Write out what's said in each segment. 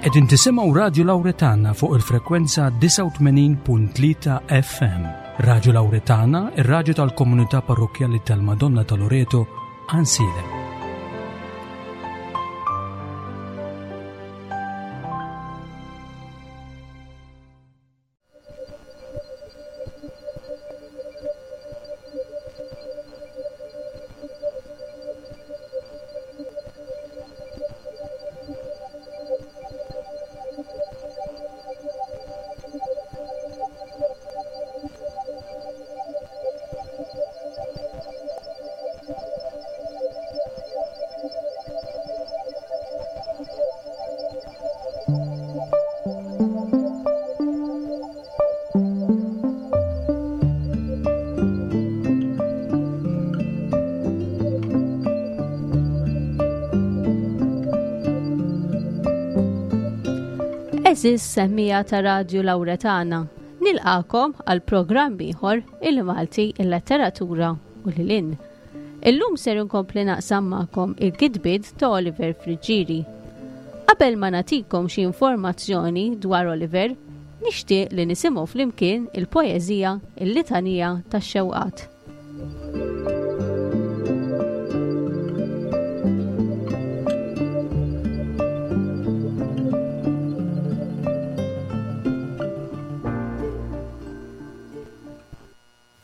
Qegħdin tisimgħu Radju Lawretana fuq il-frekwenza 89.3 FM. Radju Lawretana, ir-radju tal-komunità parrokkjali tal-Madonna ta' Loreto, Ansilem. Eżis semmija ta' Radju Lawretana, nilqakom għal programm ieħor il-Malti, il-Letteratura u l-Lin. Illum ser inkompli naqsam magħkom il-kitbiet ta' Oliver Friggieri. Qabel ma nagħtikom xi informazzjoni dwar Oliver, nixtieq li nisimgħu flimkien il-poeżija Il-Litanija tax-Xewqat.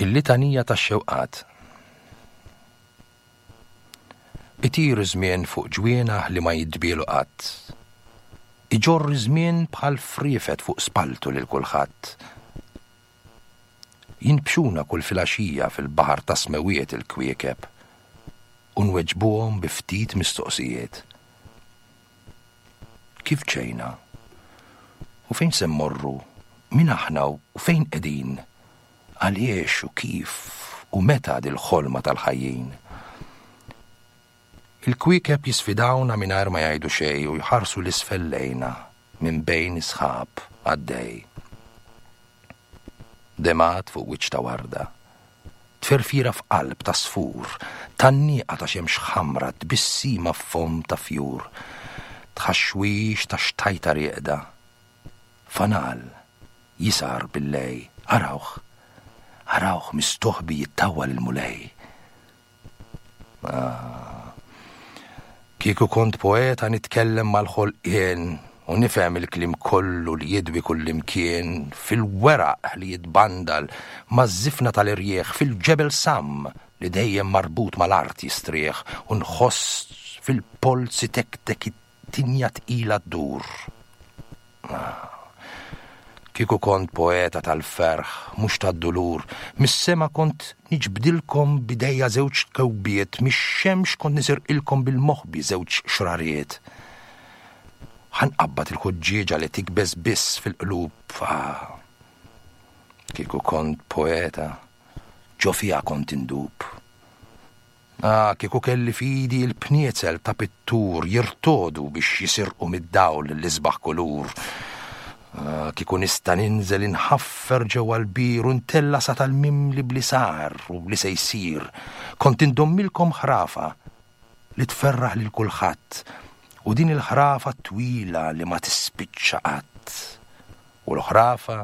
Il-Litanija tax-Xewqat Itir iż-żmien fuq ġwienaħ li ma jidbielu qatt. Iġorr iż-żmien bħal friefet fuq spalltu lil kulħadd. Jinbxuna kull filgħaxija fil-baħar tas-smewwiet il-kwiekeb u nweġbuhom bi ftit mistoqsijiet. Kif ġejna? U fejn se mmorru? Min aħna u fejn qegħdin? Għaliex u kif u meta dil-ħolma tal-ħajjin? Il-kwiekeb jisfidawna mingħajr ma jgħidu xejn u jħarsu 'l isfel lejna minn bejn is-sħab għaddej. Demgħat fuq wiċċ ta' warda. Tferfira f'qalb ta' sfur, Tgħanniqa ta' xemx ħamra, Tbissima f'fomm ta' fjur, Tħaxwix ta' xtajta rieqda, Fanal jisgħar bil-lej, Arawh, arawh mistoħbi jittawwal il-Mulej. Ah, kieku kont poeta nitkellem mal-ħolqien u nifhem il-kliem kollu li jidwi kullimkien fil-weraq li jitbandal maż-żifna tal-irjieħ fil-ġebel samm li dejjem marbut mal-art jistrieħ u nħoss fil-polz itektek it-tinja tqila ddur. Ah. Kieku kont poeta tal-ferħ, mhux tad-dulur, mis-sema kont niġbdilkom b'idejja żewġ kewbiet, mix-xemx kont nisirqilkom bil-moħbi żewġ xrariet. Ħa nqabbad il-ħuġġieġa li tikbes biss fil-qlub. Ah. Kieku kont poeta, ġo fiha kont indub. Ah, kieku kelli f'idi l-pniezel ta' pittur jirtogħdu biex jisirqu mid-dawl l-isbaħ kulur. Ah, kieku nista' ninżel inħaffer ġewwa l-bir u ntella' sa tal-mimli b'li sar u b'li se jsir, kont indommilkom ħrafa li tferraħ lil kulħadd u din il-ħrafa twila li ma tispiċċa qatt. U l-ħrafa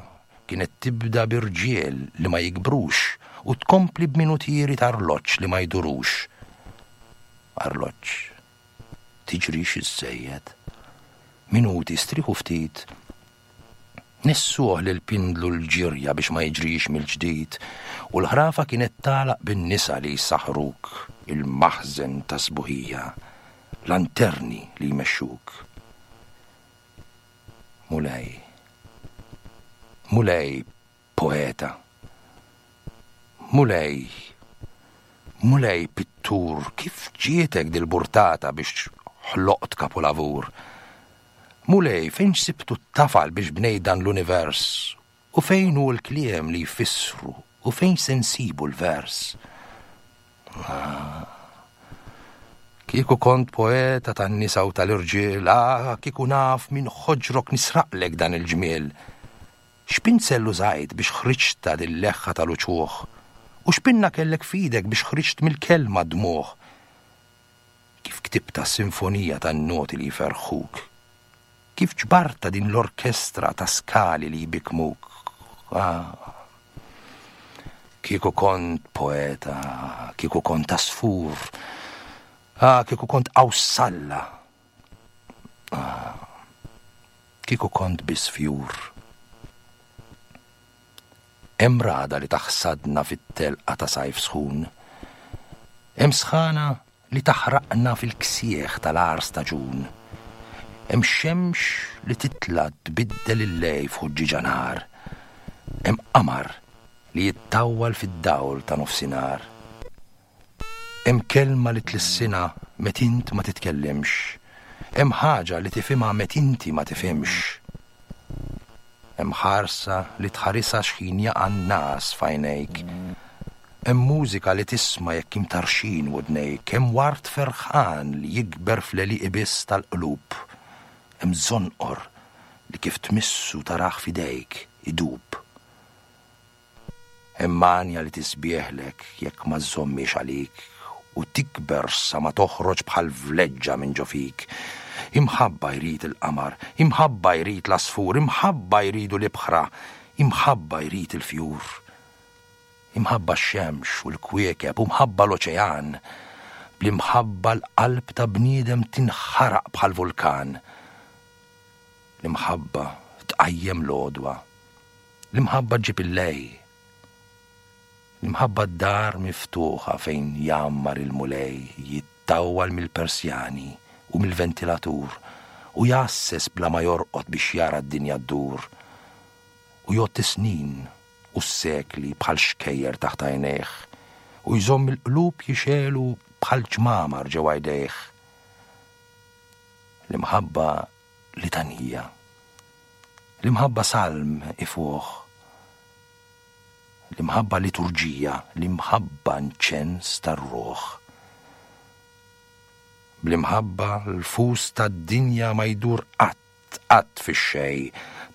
kienet tibda bi rġiel li ma jikbrux u tkompli b'minutieri t'arloġġ li ma jdurux. Arloġġ, tiġrix iżżejjed. Minuti, strieħu ftit. Nessuh lill-pindlu l-ġirja biex ma jiġrix mill-ġdid u l-ħrafa kienet tagħlaq bin-nisa li jsaħħruk il-maħżen tas-sbuħija, lanterni li jmexxuk. Mulej. Mulej, poeta. Mulej, Mulej, pittur, kif ġietek dil-burtata biex ħloqt kapulavur? Mulej, fejn sibtu t-tafal biex bnejt dan l-univers? U fejn hu l-kliem li jfissru u fejn se nsibu l-vers? Ah, kieku kont poeta tan-nisa u tal-irġiel, ah, kieku naf minn ħoġrok nisraqlek dan il-ġmiel. X'pinzell użajt biex ħriġtha dil-leħħa tal-uċuħ? U x'pinna kellek f'idek biex ħriġt mill-kelma d-dmugħ? Kif ktibtha s-sinfonija tan-noti li jferrħuk? Kif ġbartha din l-orkestra ta' skali li jbikkmuk? Ah. Kieku kont poeta, kieku kont għasfur, ah, kieku kont qawsalla. Ah, kieku kont biss fjur. Hemm ragħda li taħsadna fit-telqa ta' sajf sħun. Hemm sħana li taħraqna fil-ksieħ tal-agħar staġun. Hemm xemx li titla' tbiddel il-lejl f'ħuġġieġa nar. Hemm qamar li jittawwal fid-dawl ta' nofsinhar. Hemm kelma li tlissinha met int ma titkellimx. Hemm ħaġa li tifhimha met inti ma tifhimx. Hemm ħarsa li tħarisha x'ħin jaqa' n-ngħas f'għajnejk. Hemm mużika li tisma' jekk imtarrxin widnejk. Hemm ward ferħan li jikber fl-għelieqi biss tal-qlub. Hemm żonqor li kif tmissu tarah f'idejk idub. Hemm għanja li tisbieħlek jekk ma żżommhiex għalik u tikber sa ma toħroġ bħal vleġġa minn ġo fik. Imħabba jrid il-qamar, imħabba jrid l-għasfur, imħabba jridu l-ibħra, imħabba jrid il-fjur. Imħabba x-xemx u l-kwiekeb u mħabba l-oċean. Bl-imħabba l-qalb ta' bniedem tinħaraq bħal vulkan. L-imħabba tqajjem l-għodwa. L-imħabba ġġib il-lej. L-imħabba d-dar miftuħa fejn jgħammar il-Mulej jittawwal mill-persjani u mill-ventilatur u jgħasses bla ma jorqod biex jara d-dinja ddur u jgħodd is-snin u s-sekli bħal xkejjer taħt għajnejh u jżomm il-qlub jixegħlu bħal ċmamar ġewwa jdejh. L-imħabba litanija. L-imħabba salm ifuħ. L-imħabba liturġija, l-imħabba nċens tar-ruħ. Bl-imħabba l-fus tad-dinja ma jdur qatt, qatt fix-xejn,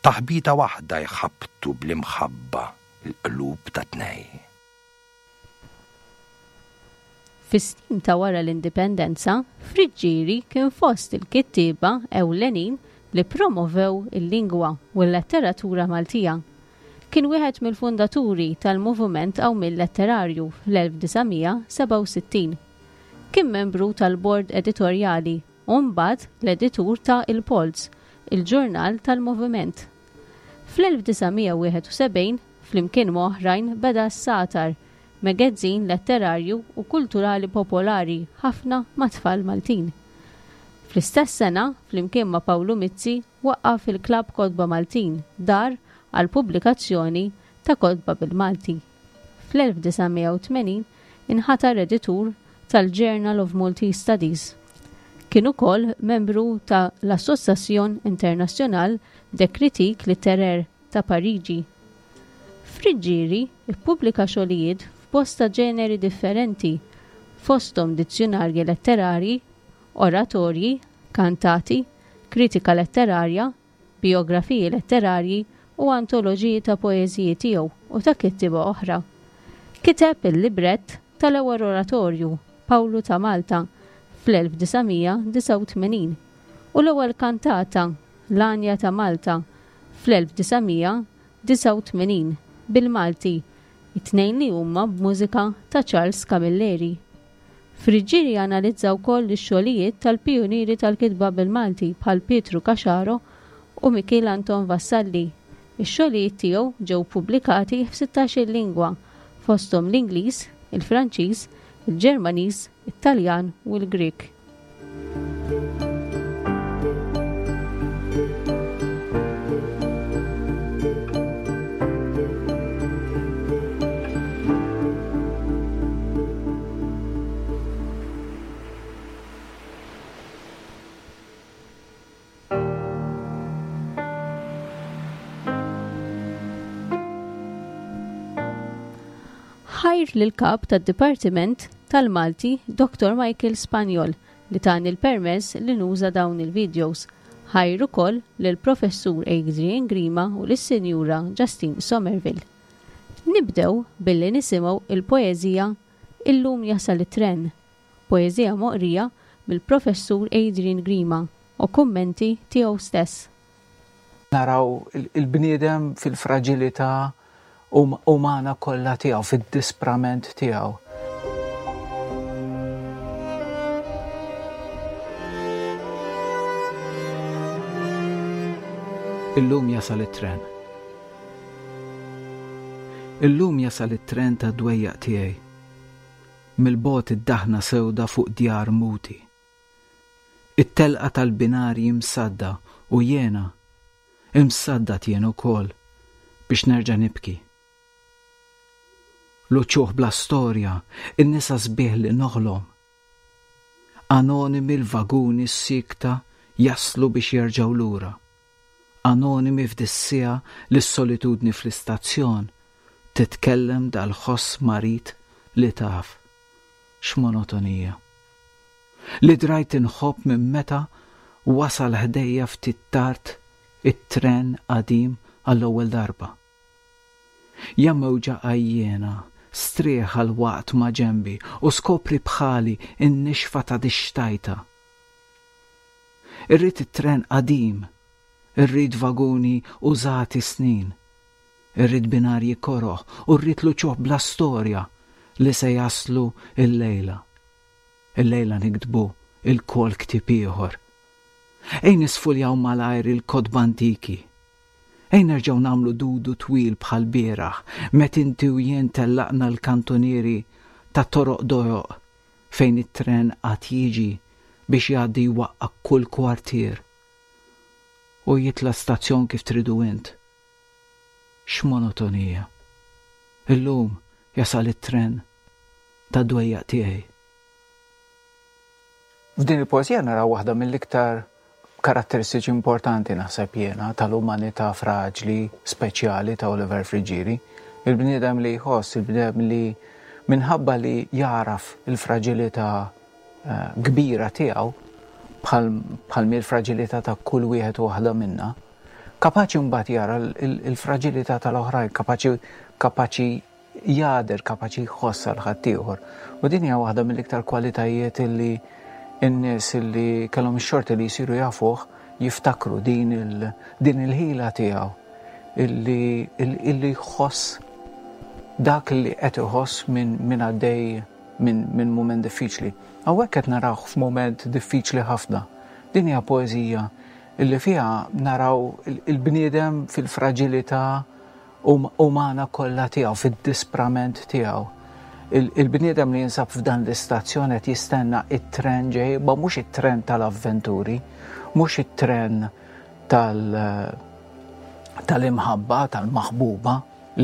taħbita waħda jħabbtu bl-imħabba l-qlub ta' tnej. Fis-snin ta' wara l-Indipendenza, Friggieri kien fost il-kittieba ewlenin li ppromovew il-lingwa u l-letteratura Maltija. Kien wieħed mill-fundaturi tal-Moviment Qawmien Letterarju fl-1967. Kien membru tal-bord editorjali u mbagħad l-editur ta' Il-Polz, il-ġurnal tal-Moviment. Fl-1971, flimkien ma' oħrajn beda s-Sagħtar, megezzin letterarju u kulturali popolari ħafna mat-tfal Maltin. Fl-istess sena, flimkien ma' Pawlu Mizzi, waqqaf il-Klabb Kotba Maltin, dar għall-pubblikazzjoni ta' kotba bil-Malti. Fl-1980 inħatar editur tal-Journal of Maltese Studies. Kien ukoll membru ta' l-Association Internationale des Critiques Littéraires ta' Pariġi. Friggieri ppubblika xogħlijiet f'bosta ġeneri differenti, fosthom dizzjunarji letterarji, oratorji, kantati, kritika letterarja, bijografiji letterarji u antoloġiji ta' poeżiji tiegħu u ta' kittieba oħra. Kiteb il-librett tal-ewwel oratorju, Pawlu ta' Malta, fl-1989 u l-ewwel kantata, L-Għanja ta' Malta, fl-1989, bil-Malti, it-tnejn li huma b'mużika ta' Charles Camilleri. Friggieri analizza wkoll ix-xogħlijiet tal-pijunieri tal-kitba bil-Malti bħal Pietru Caxaro u Mikiel Anton Vassalli. Ix-xogħlijiet tiegħu ġew pubblikati f'sittax-il lingwa, fosthom l-Ingliż, il-Franċiż, il-Ġermaniż, it-Taljan u l-Grieg. Ħajr lill-Kap tad-Dipartiment tal-Malti Dottor Michael Spagnol li tani l-permess li nuża dawn il-videos. Ħajr ukoll lill-Professur Adrian Grima u lis-Sinjura Justine Somerville. Nibdew billi nisimgħu il-poeżija Illum jasal it-tren, poeżija moqrija mill-Professur Adrian Grima u kummenti tiegħu stess. Naraw il-bniedem fil-fraġilità umana kollha tiegħu, fid-disprament tiegħu. Illum jasal it-tren. Illum jasal it-tren tad-dwejjaq tiegħi. Mill-bogħod id-daħna sewda fuq djar muti. It-telqa tal-binarji msadda u jiena, imsaddad jien ukoll biex nerġa' nibki. L-uċuħ bla storja, in-nisa sbieħ li noħlom. Anonimi l-vaguni s-siekta jaslu biex jerġgħu lura. Anonimi f'dis-siegħa li s-solitudni fl-istazzjon titkellem dal-ħoss marid li taf. X'monotonija. Li drajt inħobb minn meta wasal ħdejja ftit tard it-tren qadim għall-ewwel darba. Ja mewġa għajjiena, strieħ għal waqt maġenbi u skopri bħali n-nixfa ta' dix-xtajta. Irrid it-tren qadim, irrid vaguni użati snin, irrid binarji koroh u rrid l-uċuħ bla storja li se jaslu illejla. Illejla niktbu ilkoll ktieb ieħor. Ejn nisfuljaw malajr il-kotba antiki. Ejn nerġgħu nagħmlu dudu twil bħal bieraħ met inti u jien tellaqna l-kantunieri ta' toroq dojoq fejn it-tren għad jiġi biex jgħaddi jwaqqa' kull kwartier u jitla' stazzjon kif tridu int. X'monotonija! Illum jasal it-tren tad-dwejjaq tiegħi. F'din il-poeżija naraw waħda mill-iktar karatteristiċi importanti naħseb jiena tal-umanità fraġli speċjali ta' Oliver Friggieri. Il-bniedem li jħoss, il-bniedem li minħabba li jagħraf il-fraġilità eh, kbira tiegħu bħal l-fraġilità ta' kull wieħed u waħda minna, kapaċi mbagħad jara l-fraġilità tal-oħrajn, kapaċi kapaċi jagħder, kapaċi jħoss għal ħaddieħor. U din hija waħda mill-iktar kwalitajiet illi n-nies illi kellhom ix-xorti li jsiru jafuh jiftakru din il-ħila tiegħu illi illi jħoss dak li qed iħoss minn min għaddej minn min mument diffiċli. Hawnhekk qed narawh f'mument diffiċli ħafna. Din hija poeżija illi fiha naraw il-bniedem fil-fraġilità umana kollha tiegħu, fid-disprament tiegħu. Il-bniedem li jinsab f'dan l-istazzjon qed jistenna it-tren ġej, ma mhux it-tren tal-avventuri, mhux it-tren tal-imħabba, tal-maħbuba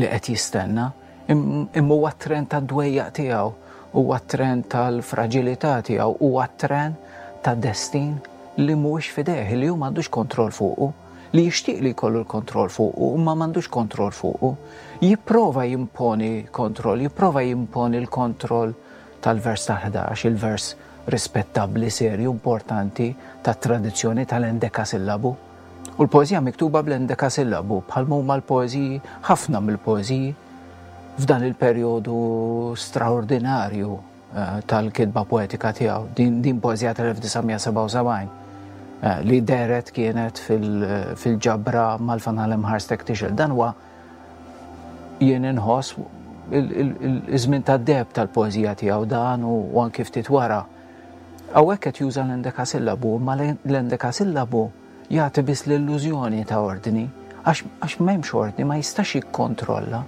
li qed jistenna, imma huwa t-tren tad-dwejjaq tiegħu, huwa t-tren tal-fraġilità tiegħu, huwa t-tren ta' destin li mhuwiex f'idejh, li hu m'għandux kontroll fuqu. li jixtieq li jkollu l-kontroll fuqu imma m'għandux kontroll fuqu, jipprova jimponi kontroll, jipprova jimponi l-kontroll tal-vers tal-11, il-vers rispettabbli, serju, importanti tat-tradizzjoni tal-endekasillabu. U l-poeżija miktuba bl-endekasillabu bħal huma l-poeżiji, ħafna mill-poeżiji f'dan il-perjodu straordinarju eh, tal-kitba poetika tiegħu. Din, din poeżija tal-1977 eh, li deret kienet fil-ġabra mal-Fanal Imħarstek Tixel. Dan huwa jien inħoss iż-żmien tad-deb tal-poeżija tiegħu dan u anki ftit wara. Hawnhekk qed juża l-endekasillabu, imma l-endekasillabu jagħti biss l-illużjoni ta' ordni, għax m'hemmx ordni, ma jistax jikkontrolla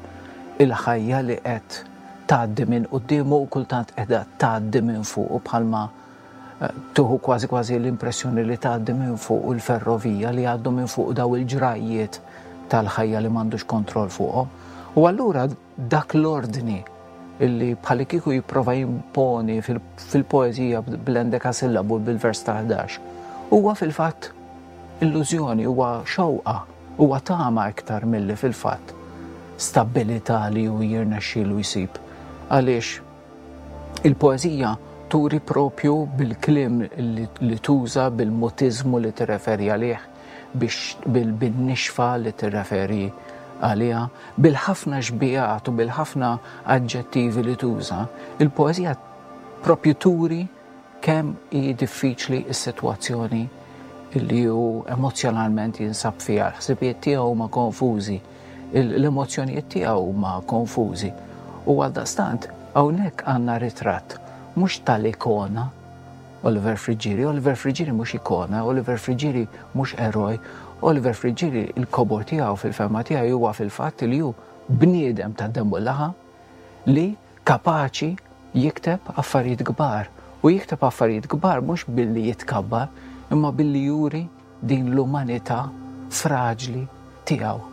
il-ħajja li qed tgħaddi minn quddiemu u kultant qiegħda tgħaddi minn fuqu bħalma eh, tuħu kważi kważi l-impressjoni li tgħaddi minn fuq il-ferrovija li jgħaddu minn fuq daw il-ġrajjiet tal-ħajja li m'għandux kontroll fuqhom. U allura dak l-ordni illi bħalli kieku jipprova jimponi fil-poeżija bl-endekasillabu bil-vers ta' 11 huwa fil-fatt illużjoni, huwa xewqa, huwa tama iktar milli fil-fatt stabbilità li hu jirnexxielu jsib. Għaliex il-poeżija turi propju bil-kliem li tuża, bil-mutiżmu li tirreferi għalih, biex bil-nixfa li tirreferi għaliha, bil-ħafna xbijat u bil-ħafna aġġettivi li tuża, il-poeżija propju turi kemm hi diffiċli s-sitwazzjoni li hu emozzjonalment jinsab fiha, l-ħsibijiet tiegħu huma konfużi, l-emozzjonijiet tiegħu huma konfużi. U għaldaqstant hawnhekk għandna ritratt mhux tal-ikona Oliver Friggieri, Oliver Friggieri mhux ikona, Oliver Friggieri mhux eroj, Oliver Friggieri il-kobor tiegħu fil-fehma tiegħi huwa fil-fatt li hu bniedem ta' demm u laħam li kapaċi jikteb affarijiet kbar. U jikteb affarijiet kbar mhux billi jitkabbar, imma billi juri din l-umanità fraġli tiegħu.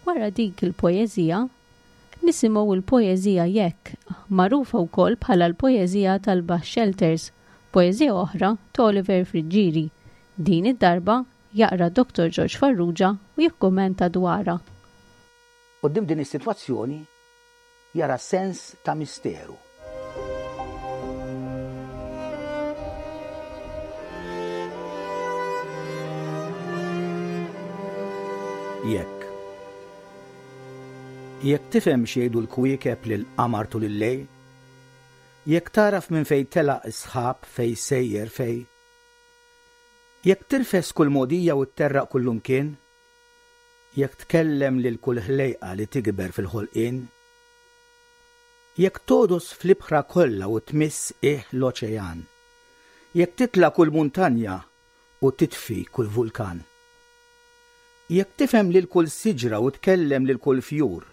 Wara dik il-poeżija, nisimgħu l-poeżija Jekk, magħrufa wkoll bħala l-poeżija tal-Bus Shelters, poeżija oħra ta' Oliver Friggieri. Din id-darba jaqra Dottor George Farrugia u jikkummenta dwarha. Quddiem din is-sitwazzjoni jara sens ta' misteru. Jekk. Jekk tifhem x'jgħidu l-kwiekeb lill-qamar tul il-lejl, jekk tagħraf minn fejn telaq is-sħab fejn sejjer fejn, jekk tirfes kull mogħdija u tterraq kullumkien, Jekk tkellem lil kull ħlejqa li tikber fil-ħolqien, jekk togħdos fl-ibħra kollha u tmiss qiegħ l-oċean, jekk titla' kull muntanja u titfi kull vulkan, jekk tifhem lil kull siġra u tkellem lil kull fjur,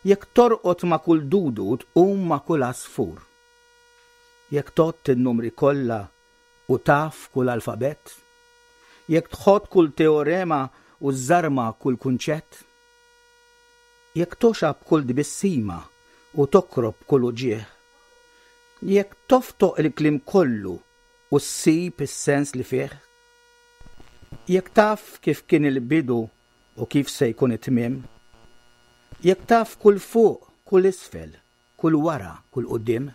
jekk torqod ma' kull dudu u tqum ma' kull għasfur, jekk tgħodd in-numri kollha u taf kull alfabett? Jekk tħott kull teorema u żżarma kull kunċett? Jekk togħxa b'kull tbissima u tokrob b'kull uġigħ? Jekk toftoq il-kliem kollu u ssib is-sens li fih? Jekk taf kif kien il-bidu u kif se jkun it-tmiem? Jekk taf kull fuq, kull isfel, kull wara, kull quddiem.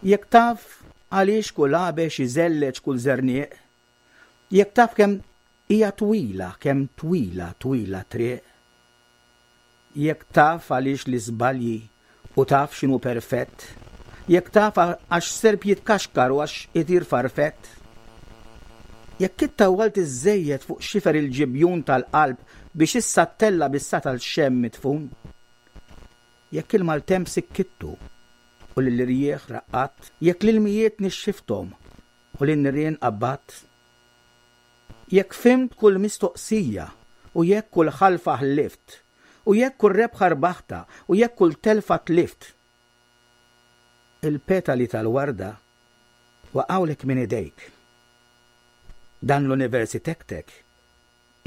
Jekk taf għaliex kull għabex iżelleġ kull żerniq, jekk taf kemm hija twila, kemm twila, twila t-triq. Jekk taf għaliex l-iżbalji u taf x'inhu perfett, jekk taf għax serp jitkaxkar u għax itir farfett. Jekk ittawwalt iżżejjed fuq xifer il-ġibjun tal-qalb biex issa ttella' bis-satal xemm midfun. Jekk il-maltemp sikkittu u lill-irjieħ raqqadt, jekk l-ilmijiet nixxifthom u lin-nirien qabbadt, jekk fhimt kull mistoqsija u jekk kull ħalfa ħlift, u jekk kull rebħa rbaħtha u jekk kull telfa tlift, il-petali tal-warda waqgħulek minn idejk. Dan l-univers itektek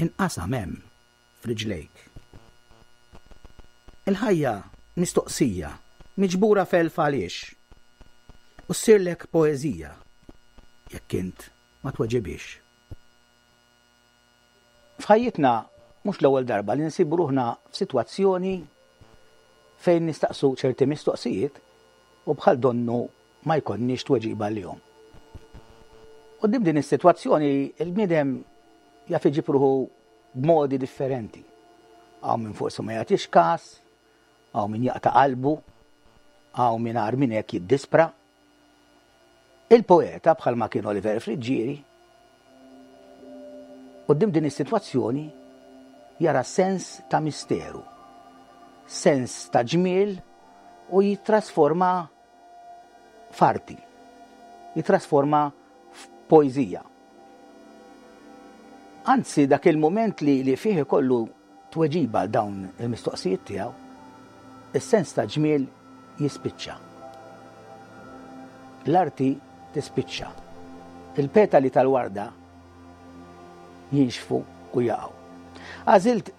inqasam hemm f'riġlejk. Il-ħajja mistoqsija miġbura f'elf għaliex u ssirlek poeżija jekk int ma tweġibhiex. F'ħajjitna mhux l-ewwel darba li nsibu ruħna f'sitwazzjoni fejn nistaqsu ċerti mistoqsijiet u bħal donnu ma jkollniex tweġiba għalihom. Quddiem din is-sitwazzjoni l-bniedem jaf iġib ruħu b'modi differenti. Hawn min forsi ma jagħtix każ, hawn min jaqta' qalbu, hawn min agħar minn hekk jiddispra. Il-poeta bħalma kien Oliver Friggieri, quddiem din is-sitwazzjoni jara sens ta' misteru, sens ta' ġmiel u jittrasforma f'arti, jittrasforma f'poeżija. Anzi, dak il-mument li, li fih ikollu tweġiba għal dawn il-mistoqsijiet tiegħu, is-sens ta' ġmiel jispiċċa. L-arti tispiċċa. Il-petali tal-warda jinxfu u jaqgħu. Għażilt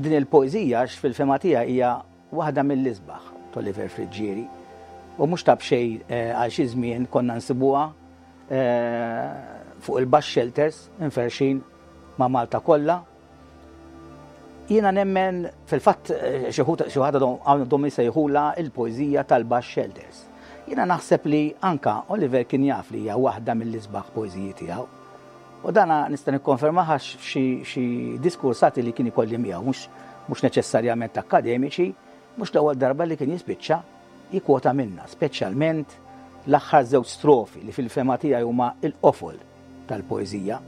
din il-poeżija għax fil-fema tiegħi hija waħda mill-isbaħ t'Oliver Friggieri u mhux ta' b'xejn eh, għal xi żmien konna nsibuha fuq il-bus shelters inferxin ma' Malta kollha. Jiena nemmen fil-fatt eh, xi ħadd għandhom jsejħula il-poeżija tal-bus shelters. Jiena naħseb li anka Oliver kien jaf li hija waħda mill-isbaħ poeżiji tiegħu. U dana nista' nikkonfermah għax f'xi diskursati li kien ikolli miegħu mhux mhux neċessarjament akkademiċi, mhux l-ewwel darba li kien jispiċċa jikkwota minnha, speċjalment l-aħħar żewġ strofi li fil-fehma tiegħi huma l-qofol tal-poeżija.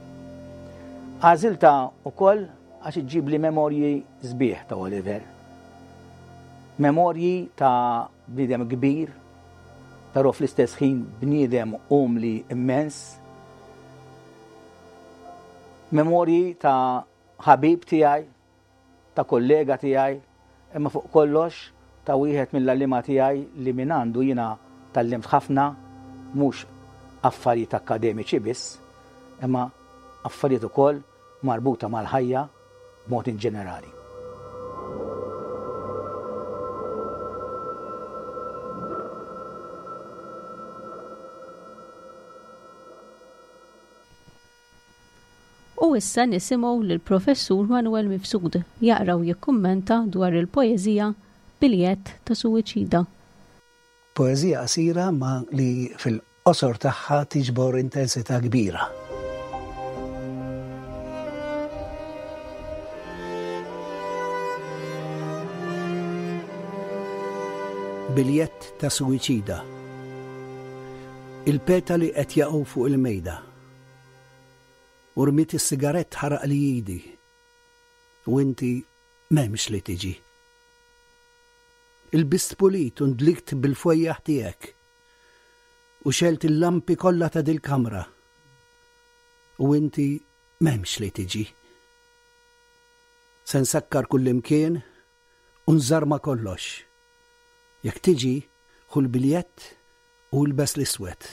Għażiltha wkoll għax iġġibli memorji sbieħ ta' Oliver. Memorji ta' bniedem kbir, però fl-istess ħin bniedem umli immens. Memorji ta' ħabib tiegħi, ta' kollega tiegħi, imma fuq kollox ta' wieħed mill-għalliema tiegħi li mingħandu jiena tgħallimt ħafna, mhux affarijiet akkademiċi biss, imma affarijiet ukoll marbuta mal-ħajja b'mod inġenerali. U issa nisimgħu lill-Professur Manuel Mifsud jaqra u jikkummenta dwar il-poeżija Biljett ta' Suwiċida. Poeżija qasira ma li fil-qosor tagħha tiġbor intensità kbira. Biljett ta' suwiċida. Il-petali qed jaqgħu fuq il-mejda. U rmiet is-sigarett ħaraqli idi. U inti m'hemmx li tiġi. Ilbist pulit u ndlikt bil-fwejjaħ tiegħek. U xegħelt il-lampi kollha ta' dil-kamra. U inti m'hemmx li tiġi. Se nsakkar kullimkien u nżarma kollox. Jekk tiġi, ħu l-biljett u ilbes l-iswed.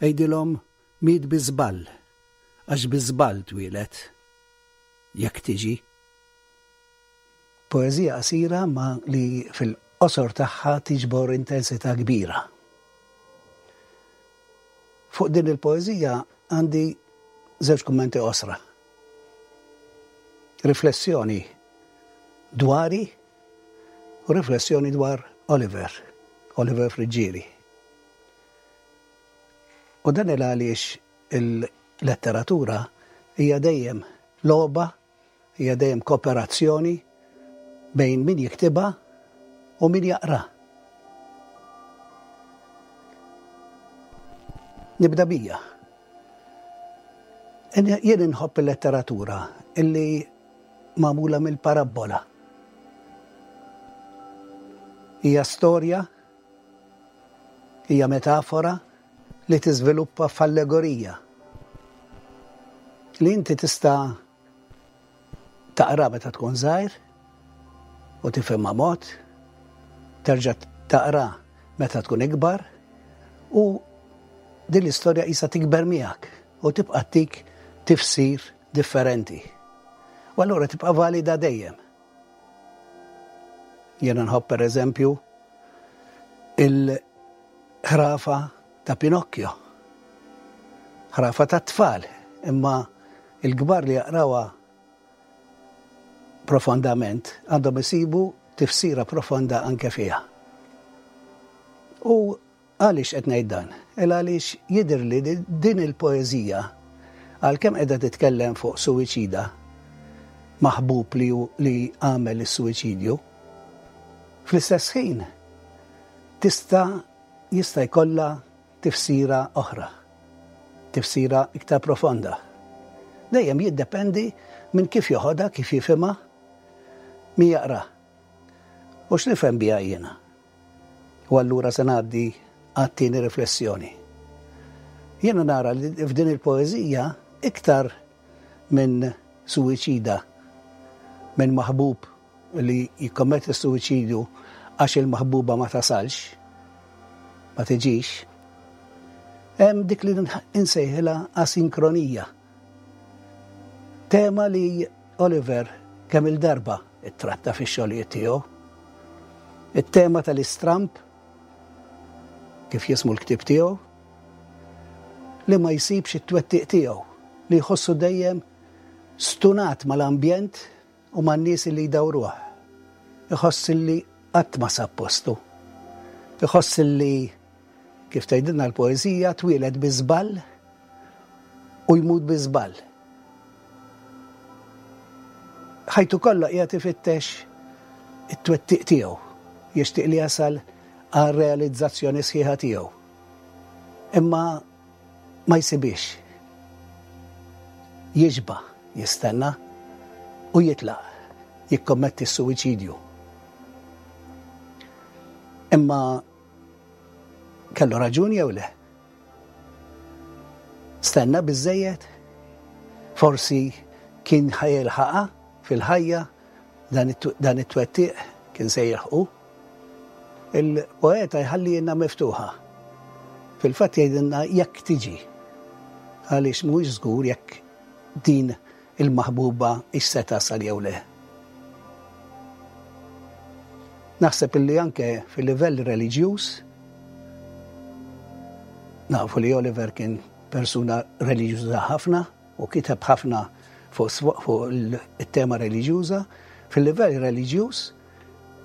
Għidilhom miet bi żball, għax bi żball twieled. Jekk tiġi. Poeżija qasira ma li fil-qosor tagħha tiġbor intensità kbira. Fuq din il-poeżija għandi żewġ kummenti qosra. Riflessjoni dwari u riflessjoni dwar Oliver, Oliver Friggieri. U dan il għaliex il-letteratura hija dejjem logħba, hija dejjem kooperazzjoni bejn min jiktibha u min jaqra. Nibda bija. Jien inħobb il-letteratura illi magħmula mill-parabbola. Hija storja, hija metafora li tiżviluppa f'allegorija li inti tista' taqra meta tkun żgħir u tifhimha mod, terġa' taqra meta tkun ikbar u din l-istorja qisha tikber miegħek u tibqa' ttik tifsir differenti. U allura tibqa' valida dejjem. Jiena nħobb pereżempju il-ħrafa ta' Pinocchio. Ħrafa tat-tfal, imma il-kbar li jaqrawha profondament għandhom isibu tifsira profonda anke fiha. U Għaliex qed ngħid dan? Il għaliex jidhirli li din il-poeżija, għalkemm qiegħda titkellem fuq suwiċida, maħbub li hu li għamel is-suwiċidju, fl-istess ħin tista' jista' jkollha tifsira oħra, tifsira iktar profonda. Dejjem jiddependi minn kif joħodha, kif jifhimha, min jaqra. U x'nifhem biha jiena? U allura se ngħaddi għat-tieni riflessjoni. Jiena nara li f'din il-poeżija iktar minn suwiċida, minn maħbub li jikkommetti s-suwiċidju għax il-maħbuba ma tasalx, ma tiġix, hemm dik li insejħilha asinkronija. Tema li Oliver kemm-il darba ttratta fix-xogħlijiet tiegħu. It-tema tal-istramb, kif jismu l-ktieb tiegħu, li ma jsibx it-twettiq tiegħu, li jħossu dejjem stunat mal-ambjent u man-nies li jdawruh. Iħoss li qatt ma sab postu. Iħoss li. Kif tgħidilna l-poeżija, twieled bi żball u jmut bi żball. Ħajtu kollha qiegħed ifittex it-twettiq tiegħu, jixtieq li jasal għar-realizzazzjoni sħiħa tiegħu. Imma ma jsibhiex. Jixba' jistenna u jitlaq jikkommetti s-suwiċidju. Imma kellu raġun jew le? Stenna biżżejjed? Forsi kien ħa jilħaqha fil-ħajja dan it-twettiq kien se jilħqu? Il-poeta jħallihielna miftuħa. Fil-fatt jgħidilna jekk tiġi. Għaliex mhuwiex żgur jekk din il-maħbuba hix se tasal jew le. Naħseb illi anke fil-livell reliġjuż nafu li Oliver kien persuna reliġjuża ħafna u kiteb ħafna fuq it-tema reliġjuża. Fil-livell reliġjuż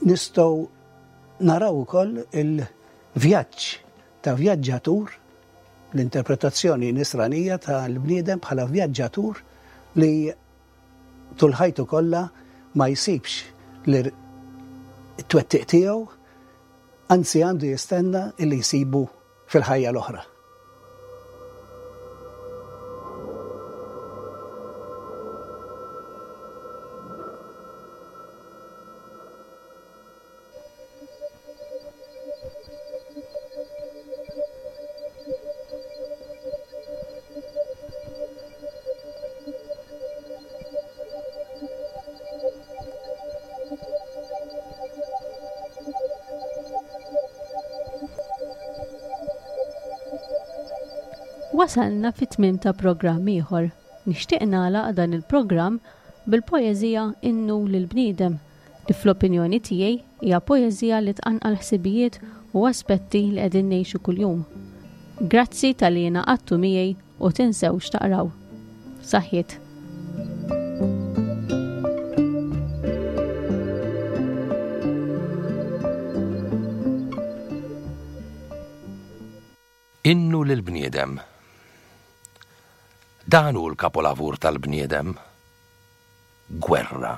nistgħu naraw ukoll il-vjaġġ ta' vjaġġatur l-interpretazzjoni nisranija tal-bniedem bħala vjaġġatur li tul ħajtu kollha ma jsibx li t-twettiq tiegħu, anzi għandu jistenna li jsibu fil-ħajja l-oħra. Wasalna fit-tmiem ta' programm ieħor. Nixtieq nagħlaq dan il-programm bil-poeżija Innu lill-Bniedem li fl-opinjoni tiegħi hija poeżija li tqanqal ħsibijiet u aspetti li qegħdin ngħixu kuljum. Grazzi talli ingħaqadtu miegħi u tinsewx taqraw. Saħħiet. Innu lill-bniedem. Dan hu l-kapolavur tal-bniedem. Gwerra.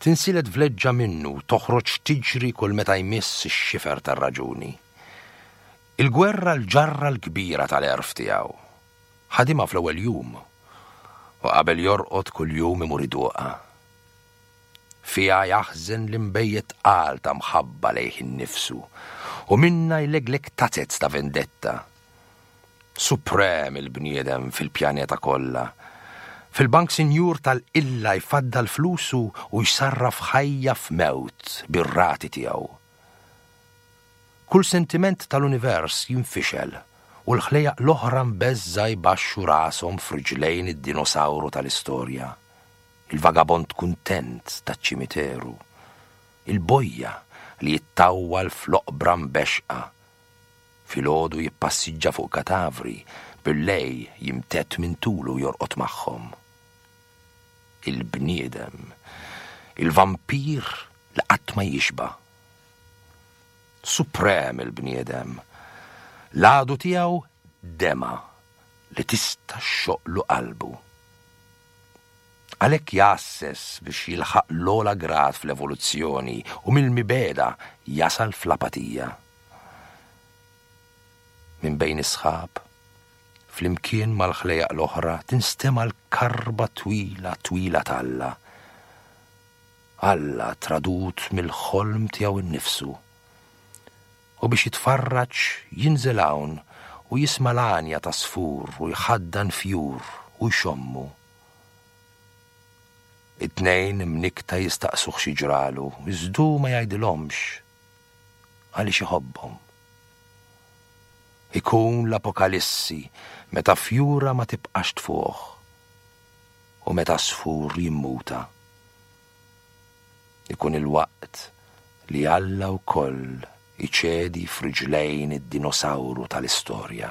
Tinsilet vleġġa minnu toħroġ tiġri kull meta jmiss ix-xifer tar-raġuni. Il-gwerra l-ġarra l-kbira tal-għerf tiegħu. Ħadimha fl-ewwel jum u qabel jorqod kuljum imur iduqha. Fiha jaħżen l-inbejjed tqal ta' mħabba lejh innifsu u minnha jlegleg tazez ta' vendetta. Suprem il-bniedem fil-pjaneta kollha. Fil-bank sinjur tal-qilla jfaddal flusu u jsarraf ħajja f'mewt bir-rati tiegħu. Kull sentiment tal-univers jinfixel u l-ħlejjaq l-oħra mbeżżgħa jbaxxu rashom f'riġlejn id-dinosawru tal-istorja, il-vagabond kuntent taċ-ċimiteru, il-bojja li jittawwal fl-oqbra mbexxqa Filgħodu jippassiġġa fuq katavri, billejl jimtedd minn tulu u jorqod magħhom. Il-bniedem. Il-vampir li qatt ma jixba'. Suprem il-bniedem. L-għadu tiegħu demgħa li tista' xxoqqlu qalbu. Għalhekk jgħasses biex jilħaq l-ogħla grad fl-evoluzzjoni u mill-mibegħda jasal fl-apatija. Minn bejn is-sħab, flimkien mal-ħlejjaq l-oħra tinstema' l-karba twila twila t'Alla. Alla tradut mill-ħolm tiegħu nnifsu. U biex jitfarraġ jinżel hawn u jisma' l-għanja t'għasfur u jħaddan fjur u jxommu. It-tnejn imnikkta jistaqsuh xi ġralu, iżda hu ma jgħidilhomx għaliex iħobbhom. Ikun l-apokalissi meta fjura ma tibqax tfuħ u meta għasfur jimmuta. Ikun il-waqt li Alla wkoll iċedi f'riġlejn id-dinosawru tal-istorja.